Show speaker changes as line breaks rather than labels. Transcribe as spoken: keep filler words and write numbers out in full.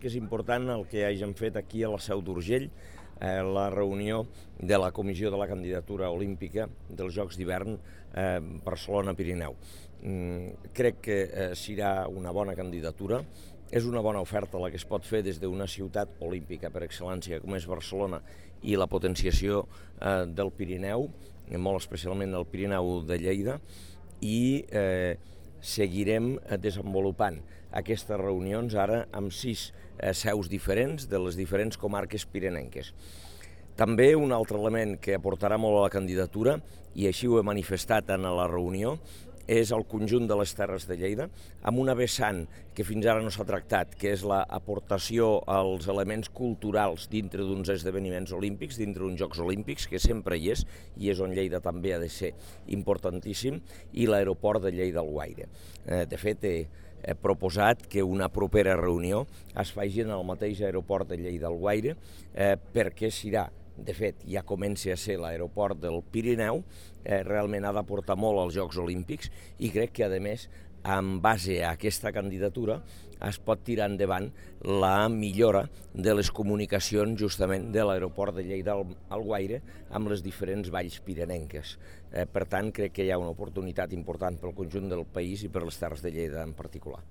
que és important el que hagin fet aquí a la Seu d'Urgell, eh, la reunió de la Comissió de la Candidatura Olímpica dels Jocs d'Hivern eh, Barcelona-Pirineu. Mm, crec que eh, serà una bona candidatura. És una bona oferta la que es pot fer des d'una ciutat olímpica per excel·lència com és Barcelona i la potenciació eh, del Pirineu, molt especialment el Pirineu de Lleida, i eh, seguirem desenvolupant aquestes reunions ara amb sis eh, seus diferents de les diferents comarques pirinenques. També un altre element que aportarà molt a la candidatura, i així ho he manifestat en la reunió, és el conjunt de les Terres de Lleida, amb una vessant que fins ara no s'ha tractat, que és l'aportació als elements culturals dintre d'uns esdeveniments olímpics, dintre d'uns Jocs Olímpics, que sempre hi és, i és on Lleida també ha de ser importantíssim, i l'aeroport de Lleida-Alguaire. Eh, de fet, he, he proposat que una propera reunió es faci en el mateix aeroport de Lleida-Alguaire, eh, perquè serà, de fet, ja comença a ser l'aeroport del Pirineu, eh, realment ha d'aportar molt als Jocs Olímpics, i crec que, a més, en base a aquesta candidatura, es pot tirar endavant la millora de les comunicacions justament de l'aeroport de Lleida-Alguaire amb les diferents valls pirinenques. Eh, per tant, crec que hi ha una oportunitat important pel conjunt del país i per les Terres de Lleida en particular.